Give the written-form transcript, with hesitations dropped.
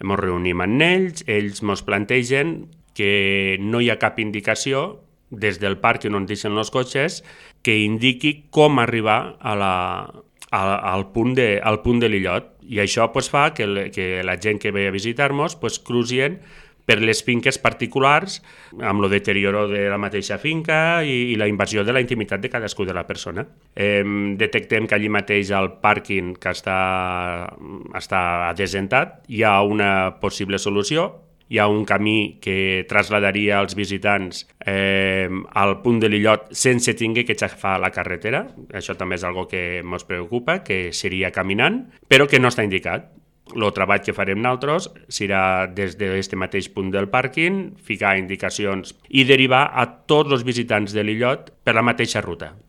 Ens reunim amb ells ens plantegen que no hi ha cap indicació des del pàrquing on deixen els cotxes que indiqui com arribar al punt de l'illot. I això fa que la gent que ve a visitar-nos cruzien per les finques particulars amb el deterioro de la mateixa finca i la invasió de la intimitat de cadascú de la persona. Detectem que allí mateix al pàrquing que està adesentat hi ha una possible solució. Hi ha un camí que trasladaria els visitants al punt de l'illot sense tinguer que xafar la carretera. Això també és algo que ens preocupa, que seria caminant, però que no està indicat. El treball que farem nosaltres serà des d'aquest mateix punt del pàrquing, ficar indicacions i derivar a tots els visitants de l'illot per la mateixa ruta.